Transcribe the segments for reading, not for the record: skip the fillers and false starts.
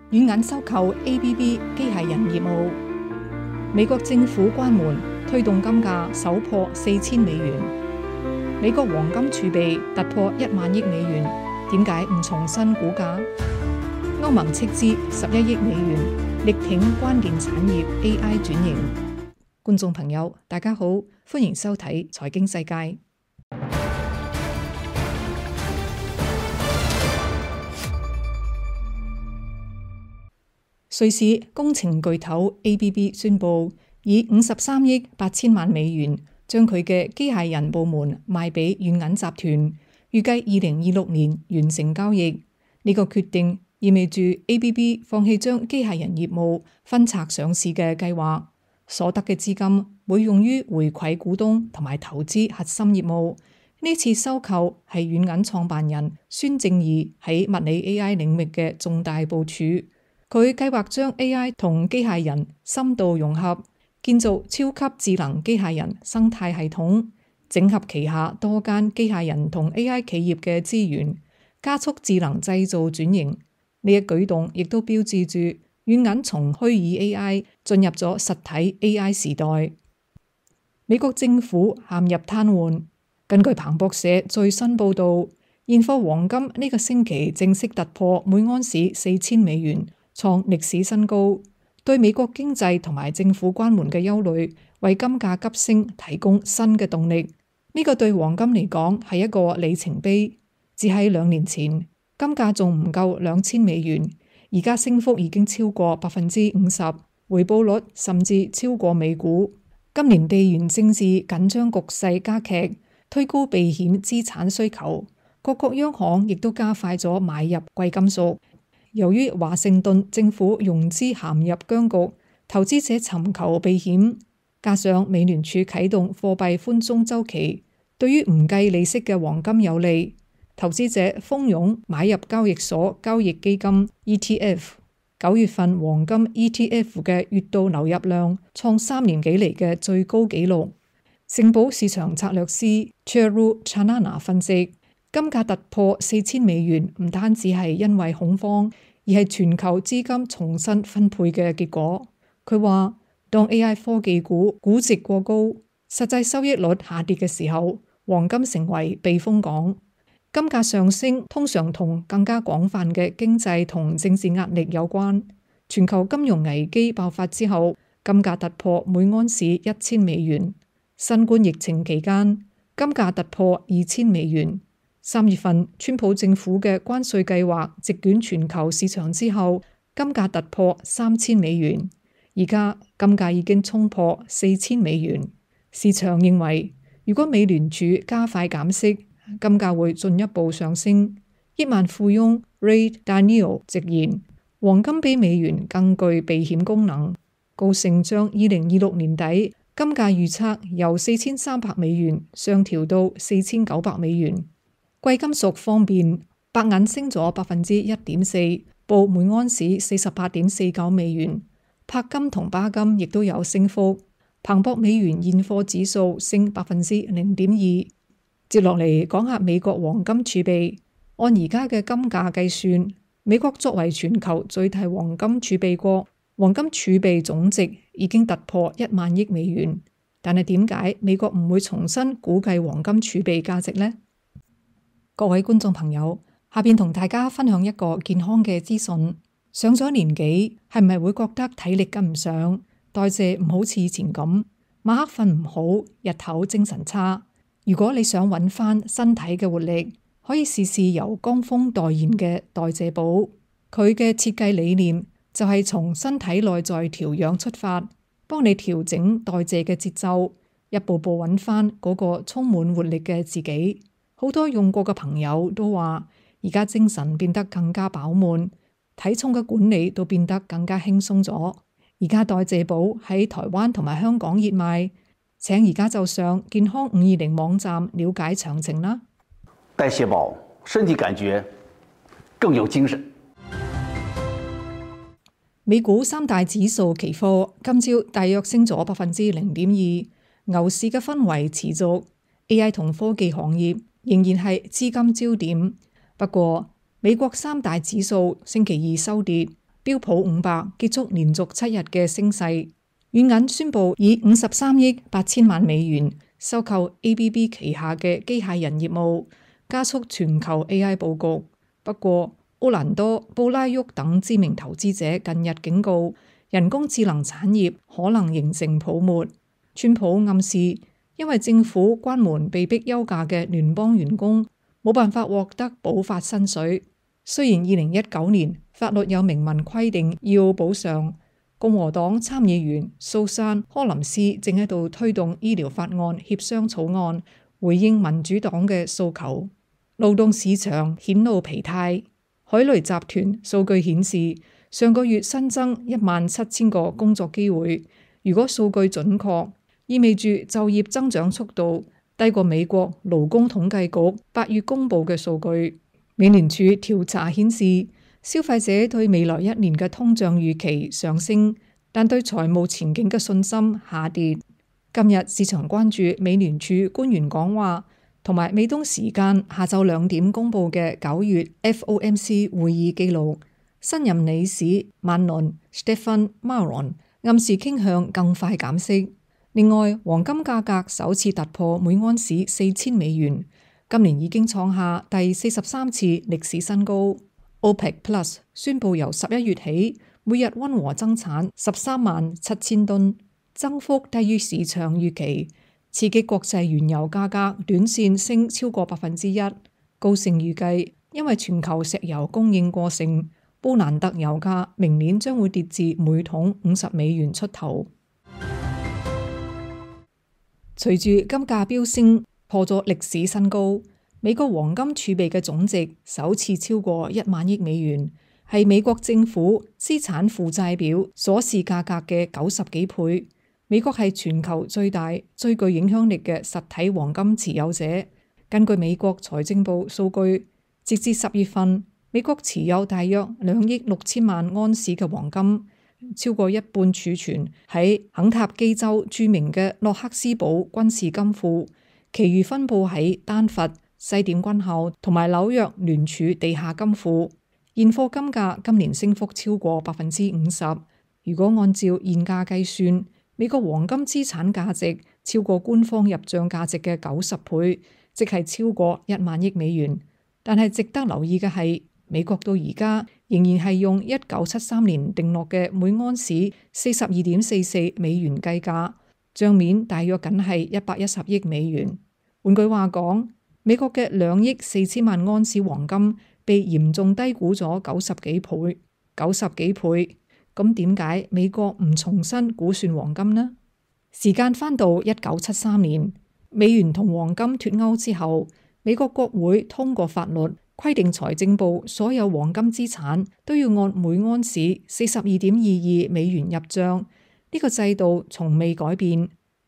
軟銀收購 ABB 機械人業務。美國政府關門，推動金價首破4000美元。美國黃金儲備突破1萬億美元，點解唔重新估價？歐盟斥資11億美元，力挺關鍵產業 AI 轉型。觀眾朋友，大家好，歡迎收睇財經世界。瑞士工程巨頭 ABB 宣布，以53億8千萬美元將佢嘅機械人部門賣俾軟銀集團，預計2026年完成交易。呢個決定意味住 ABB 放棄將機械人業務分拆上市嘅計劃，所得嘅資金會用於回饋股東同埋投資核心業務。呢次收購係軟銀創辦人孫正義喺物理 AI 領域嘅重大部署。佢計劃將 AI 同機械人深度融合，建造超級智能機械人生態系統，整合旗下多間機械人同 AI 企業嘅資源，加速智能製造轉型。呢一舉動亦都標誌住軟銀從虛擬 AI 進入咗實體 AI 時代。美國政府陷入癱瘓。根據彭博社最新報導，現貨黃金呢個星期正式突破每盎司4000美元，創歷史新高。對美國經濟同埋政府關門嘅憂慮，為金價急升提供新嘅動力。呢個對黃金嚟講係一個里程碑。只喺2年前，金價仲唔夠2000美元，而家升幅已經超過50%，回報率甚至超過美股。今年地緣政治緊張局勢加劇，推高避險資產需求，各國央行亦都加快咗買入貴金屬。由於華盛頓政府融資陷入僵局，投資者尋求避險，加上美聯儲啟動貨幣寬鬆週期，對於唔計利息嘅黃金有利，投資者蜂擁買入交易所交易基金 ETF。9月份黃金 ETF 嘅月度流入量創3年幾嚟嘅最高紀錄。盛寶市場策略師 Charu Chanana 分析，金價突破4000美元唔單止係因為恐慌，而係全球資金重新分配嘅結果。佢話，當 AI 科技股估值過高，實際收益率下跌嘅時候，黃金成為避風港。金價上升通常同更加廣泛嘅經濟同政治壓力有關。全球金融危機爆發之後，金價突破每盎司1000美元。新冠疫情期間，金價突破2000美元。3月份，川普政府嘅關稅計劃席捲全球市場之後，金價突破3000美元。而家金價已經衝破4000美元。市場認為，如果美聯儲加快減息，金價會進一步上升。億萬富翁 Ray Dalio 直言，黃金比美元更具避險功能。高盛將2026年底金價預測由4300美元上調到4900美元。貴金屬方面，白銀升咗1.4%，報每盎司48.49美元。柏金同巴金亦都有升幅。彭博美元現貨指數升0.2%。接落嚟講下美國黃金儲備。按而家嘅金價計算，美國作為全球最大黃金儲備國，黃金儲備總值已經突破1萬億美元。但係點解美國唔會重新估計黃金儲備價值呢？各位觀眾朋友，下邊同大家分享一個健康嘅資訊。上咗年紀，係咪會覺得體力跟唔上，代謝唔好似以前咁，晚黑瞓唔好，日頭精神差？如果你想揾翻身體嘅活力，可以試試由江峰代言嘅代謝寶。佢嘅設計理念就係從身體內在調養出發，幫你調整代謝嘅節奏，一步步揾翻嗰個充滿活力嘅自己。好多用過嘅朋友都話，而家精神變得更加飽滿，體重嘅管理都變得更加輕鬆咗。而家代謝寶喺台灣同埋香港熱賣，請而家就上健康520網站了解詳情啦。代謝寶，身體感覺更有精神。美股三大指數期貨今朝大約升咗0.2%，牛市嘅氛圍持續。AI 同科技行業仍然係資金焦點。不過，美國三大指數星期二收跌，標普500結束連續7日嘅升勢。軟銀宣布以53億8千萬美元收購 ABB 旗下嘅機械人業務，加速全球 AI 佈局。不過，奧蘭多、布拉沃等知名投資者近日警告，人工智能產業可能形成泡沫。川普暗示，因為政府關門被逼休假嘅聯邦員工冇辦法獲得補發薪水。雖然2019年法律有明文規定要補償，共和黨參議員蘇珊·柯林斯正喺度推動醫療法案協商草案，回應民主黨嘅訴求。勞動市場顯露疲態。海雷集團數據顯示，上個月新增17000個工作機會。如果數據準確，意味住就業增長速度低過美國勞工統計局8月公佈嘅數據。美聯儲調查顯示，消費者對未來1年嘅通脹預期上升，但對財務前景嘅信心下跌。今日市場關注美聯儲官員講話，同埋美東時間下晝2點公佈嘅9月 FOMC 會議記錄。新任理事曼倫 Stephen Maron 暗示傾向更快減息。另外，黃金價格首次突破每盎司4000美元，今年已經創下第43次歷史新高。OPEC Plus 宣布由11月起，每日溫和增產137000噸，增幅低於市場預期，刺激國際原油價格短線升超過1%。高盛預計，因為全球石油供應過剩，布蘭特油價明年將會跌至每桶50美元出頭。隨住金價飆升，破咗歷史新高，美國黃金儲備嘅總值首次超過1萬億美元，係美國政府資產負債表所示價格嘅90幾倍。美國係全球最大、最具影響力嘅實體黃金持有者。根據美國財政部數據，截至10月份，美國持有大約2億6千萬盎司嘅黃金。超過一半儲存喺肯塔基州著名嘅洛克斯堡軍事金庫，其餘分佈喺丹佛、西點軍校同埋紐約聯儲地下金庫。現貨金價今年升幅超過50%。如果按照現價計算，美國黃金資產價值超過官方入賬價值嘅90倍，即係超過1萬億美元。但係值得留意嘅係，美國到而家仍然係用1973年定落嘅每盎司42.44美元計價，賬面大約僅係110億美元。換句話講，美國嘅2億4千萬盎司黃金被嚴重低估咗90幾倍。90幾倍，咁點解美國唔重新估算黃金呢？時間返到1973年，美元同黃金脫鈎之後，美國國會通過法律，規定財政部所有黃金資產都要按每盎司42.22美元入賬，呢個制度從未改變，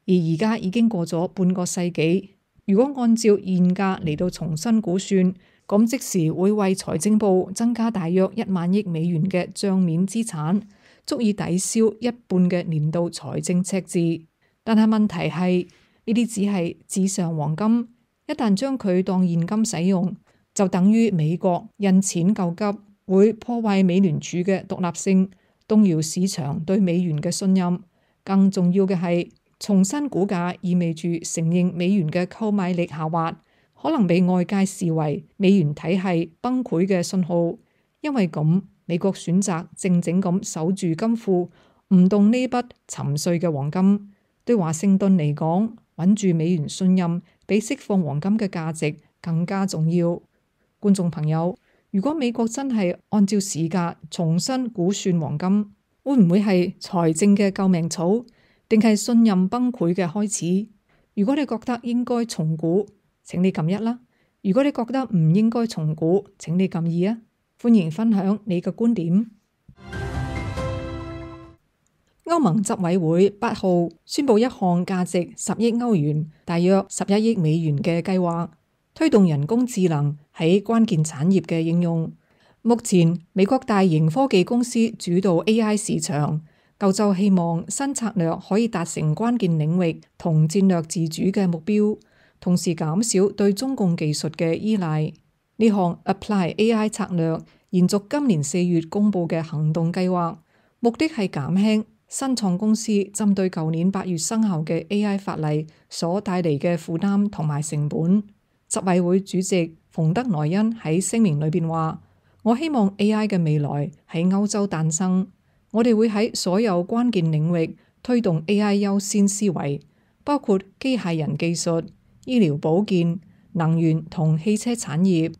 而而家已經過咗半個世紀。如果按照現價嚟到重新估算，咁即時會為財政部增加大約1萬億美元嘅賬面資產，足以抵消一半嘅年度財政赤字。但係問題係，呢啲只係紙上黃金，一旦將佢當現金使用，就等於美國印錢救急，會破壞美聯儲嘅獨立性，動搖市場對美元嘅信任。更重要嘅係，重新估價意味住承認美元嘅購買力下滑，可能被外界視為美元體系崩潰嘅信號。因為咁，美國選擇靜靜咁守住金庫，唔動呢筆沉睡嘅黃金。對華盛頓嚟講，穩住美元信任比釋放黃金嘅價值更加重要。觀眾朋友，如果美國真係按照市價重新估算黃金，會唔會係財政嘅救命草，定係信任崩潰嘅開始？如果你覺得應該重估，請你撳1啦；如果你覺得唔應該重估，請你撳2啊。歡迎分享你嘅觀點。歐盟執委會8號宣布一項價值10億歐元，大約11億美元嘅計劃，推動人工智能喺關鍵產業嘅應用。目前美國大型科技公司主導 AI 市場，歐洲希望新策略可以達成關鍵領域同戰略自主嘅目標，同時減少對中共技術嘅依賴。呢項 Apply AI 策略延續今年4月公佈嘅行動計劃，目的係減輕新創公司針對舊年8月生效嘅 AI 法例所帶嚟嘅負擔同埋成本。執委會主席馮德萊恩喺聲明裏邊話：我希望 AI 嘅未來喺歐洲誕生，我哋會喺所有關鍵領域推動 AI 優先思維，包括機械人技術、醫療保健、能源同汽車產業。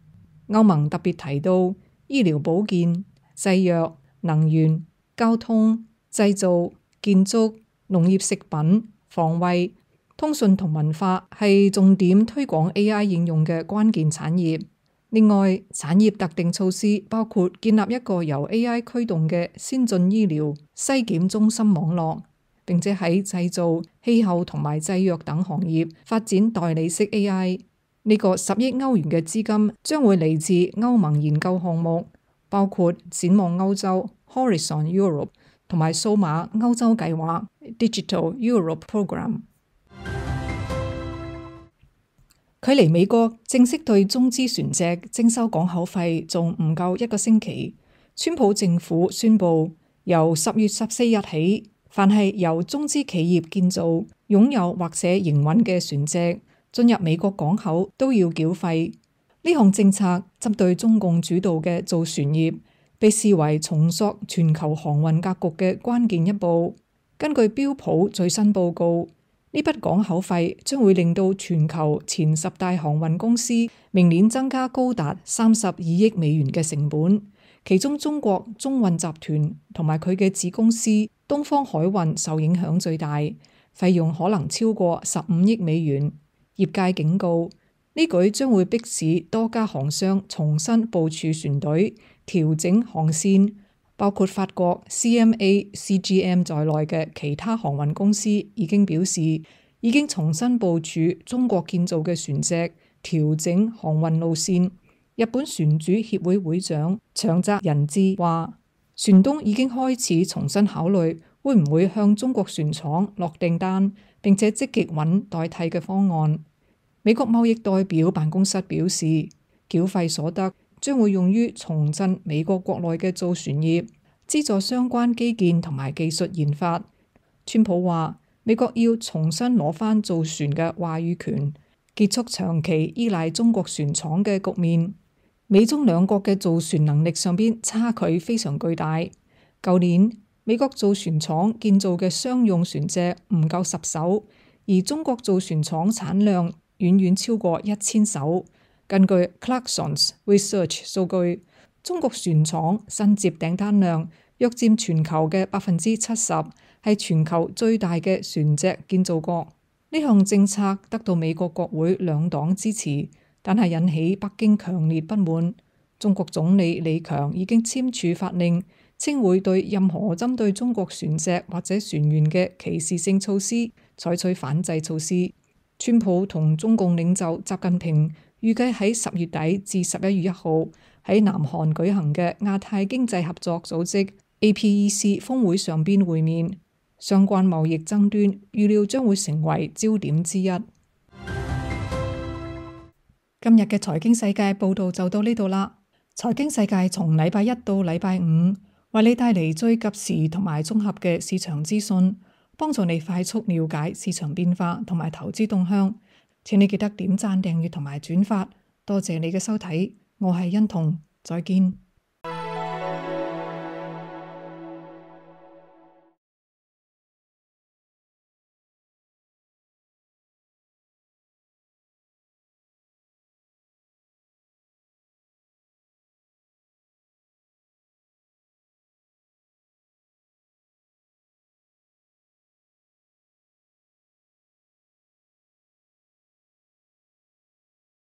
歐盟特別提到醫療保健、製藥、能源、交通、製造、建築、農業食品、防衛、通訊同文化係重點推廣 AI 應用嘅關鍵產業。另外，產業特定措施包括建立一個由 AI 驅動嘅先進醫療篩檢中心網絡，並且喺製造、氣候同埋製藥等行業發展代理式 AI。呢個10億歐元嘅資金將會嚟自歐盟研究項目，包括展望歐洲 Horizon Europe 同埋數碼歐洲計劃 Digital Europe Program。距離美國正式對中資船隻徵收港口費仲唔夠1個星期，川普政府宣布由10月14日起，凡係由中資企業建造、擁有或者營運嘅船隻進入美國港口都要繳費。呢項政策針對中共主導嘅造船業，被視為重塑全球航運格局嘅關鍵一步。根據標普最新報告，呢筆港口費將會令到全球前10大航運公司明年增加高達32億美元嘅成本，其中中國中運集團同埋佢嘅子公司東方海運受影響最大，費用可能超過15億美元。業界警告，呢舉將會迫使多家航商重新部署船隊，調整航線。包括法國 CMA、CGM 在內嘅其他航運公司已經表示，已經重新部署中國建造嘅船隻，調整航運路線。日本船主協會會長長澤仁志話，船東已經開始重新考慮會唔會向中國船廠落訂單，並且積極揾代替嘅方案。美國貿易代表辦公室表示，繳費所得將會用於重振美國國內嘅造船業，資助相關基建同埋技術研發。川普話，美國要重新攞返造船嘅話語權，結束長期依賴中國船廠嘅局面。美中兩國嘅造船能力上邊差距非常巨大。舊年美國造船廠建造嘅商用船隻唔夠10艘，而中國造船廠產量遠遠超過1000艘。根據 Clarksons Research 數據，中國船廠新接訂單量約佔全球嘅70%，係全球最大嘅船隻建造國。呢項政策得到美國國會兩黨支持，但係引起北京強烈不滿。中國總理李強已經簽署法令，稱會對任何針對中國船隻或者船員嘅歧視性措施採取反制措施。川普同中共領袖習近平預計喺10月底至11月1號喺南韓舉行嘅亞太經濟合作組織 APEC 峰會上邊會面，相關貿易爭端預料將會成為焦點之一。今日嘅財經世界報道就到呢度啦。財經世界從禮拜一到禮拜五為你帶嚟最及時同埋綜合嘅市場資訊，幫助你快速了解市場變化同埋投資動向。請你記得點讚、訂閱同埋轉發，多謝你嘅收睇，我係欣彤，再見。